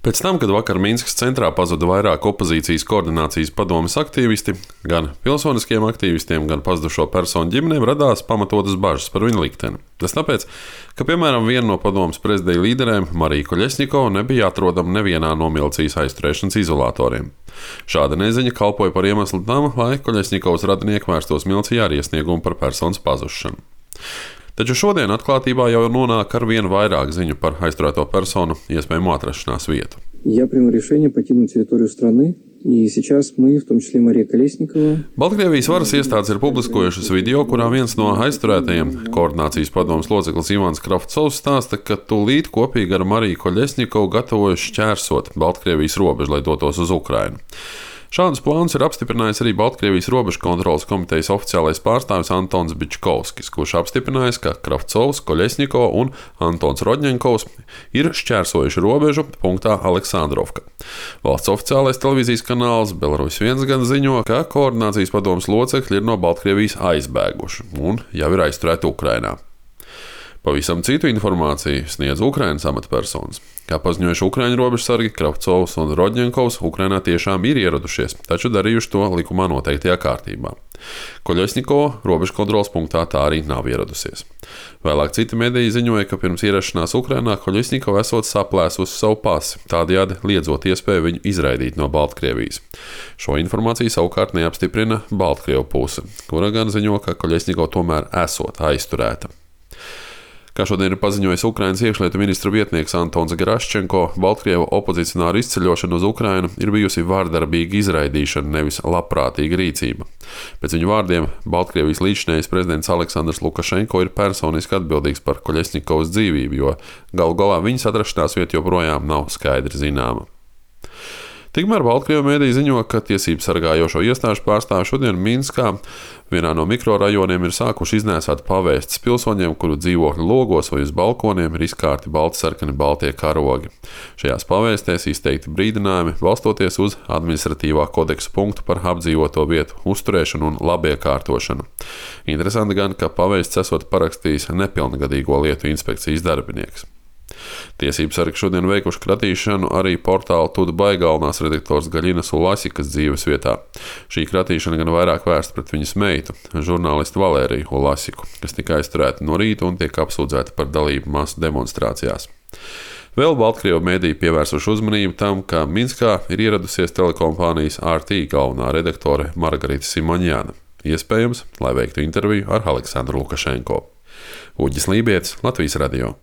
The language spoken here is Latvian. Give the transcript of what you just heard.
Pēc tam, kad vakar Minskas centrā pazuda vairāk opozīcijas koordinācijas padomes aktīvisti, gan pilsoniskiem aktīvistiem, gan pazudušo personu ģimenēm radās pamatotas bažas par viņu likteni. Tas tāpēc, ka, piemēram, viena no padomes prezidija līderēm, Marija Koļesņikova, nebija atrodama nevienā no milicijas aizturēšanas izolatoriem. Šāda neziņa kalpoja par iemeslu tam, lai Koļesņikovas radinieki vērstos milicijā ar iesniegumu par personas pazušanu. Taču šodien atklātībā jau nonāk ar vien vairāk ziņu par aizturēto personu iespējamo atrašanās vietu. Я приму решение покинуть территорию страны, и сейчас мы, в том числе Мария Колесникова. Baltkrievijas varas iestādes ir publiskojušas video, kurā viens no aizturētajiem, koordinācijas padomes loceklis Ivans Kravcovs, stāsta, ka tūlīt kopīgi ar Mariju Koļesņikovu gatavojas šķērsot Baltkrievijas robežu, lai dotos uz Ukrainu. Šādus plānus ir apstiprinājis arī Baltkrievijas robežu kontroles komitejas oficiālais pārstāvis Antons Bičkovskis, kurš apstiprinājis, ka Kravcovs, Koļesņikova un Antons Rodņenkovs ir šķērsojuši robežu punktā Aleksandrovka. Valsts oficiālais televīzijas kanāls Belarus 1 gan ziņo, ka koordinācijas padomes locekļi ir no Baltkrievijas aizbēguši un jau ir aizturēti Ukrainā. Pavisam citu informāciju sniedz Ukrainas amatpersonas. Kā paziņojuši Ukraiņu robežsargi, Kravcovs un Rodņenkovs Ukrainā tiešām ir ieradušies, taču darījuši to likumā noteiktajā kārtībā. Koļesņikova robežu kontroles punktā tā arī nav ieradusies. Vēlāk citi mediji ziņoja, ka pirms ierašanās Ukrainā Koļesņikova esot saplēsusi savu pasi, tādējādi liedzot iespēju viņu izraidīt no Baltkrievijas. Šo informāciju savukārt neapstiprina Baltkrievu puse, kura gan ziņo, ka Koļesņikova tomēr esot aizturēta. Kā šodien ir paziņojis Ukrainas iekšlietu ministra vietnieks Antons Geraščenko, Baltkrievu opozicionāru izceļošana uz Ukrainu ir bijusi vārdarbīga izraidīšana, nevis labprātīga rīcība. Pēc viņu vārdiem Baltkrievijas līdzinējais prezidents Aleksandrs Lukašenko ir personiski atbildīgs par Koļesņikovas dzīvību, jo galu galā viņas atrašanās vieta joprojām nav skaidri zināma. Tikmēr Baltkrievu mediji ziņo, ka tiesību sargājošo iestāžu pārstāvji šodien Minskā vienā no mikrorajoniem ir sākuši iznēsāt pavēstas pilsoņiem, kuru dzīvokļu logos vai uz balkoniem ir izkārti baltsarkani baltie karogi. Šajās pavēstēs izteikti brīdinājumi, balstoties uz administratīvā kodeksa punktu par apdzīvoto vietu uzturēšanu un labiekārtošanu. Interesanti gan, ka pavēsts esot parakstījis nepilngadīgo lietu inspekcijas darbinieks. Tiesību sargi šodien veikuši kratīšanu arī portāla Tudbai galvenās redaktors Gaļinas Ulasikas dzīves vietā. Šī kratīšana gan vairāk vērsta pret viņas meitu, žurnālistu Valēriju Ulasiku, kas tika aizturēta no rīta un tiek apsūdzēta par dalību masu demonstrācijās. Vēl Baltkrievu mediji pievērsuši uzmanību tam, ka Minskā ir ieradusies telekompānijas RT galvenā redaktore Margarita Simonjana. Iespējams, lai veiktu interviju ar Aleksandru Lukašenko. Uģis Lībietis, Latvijas radio.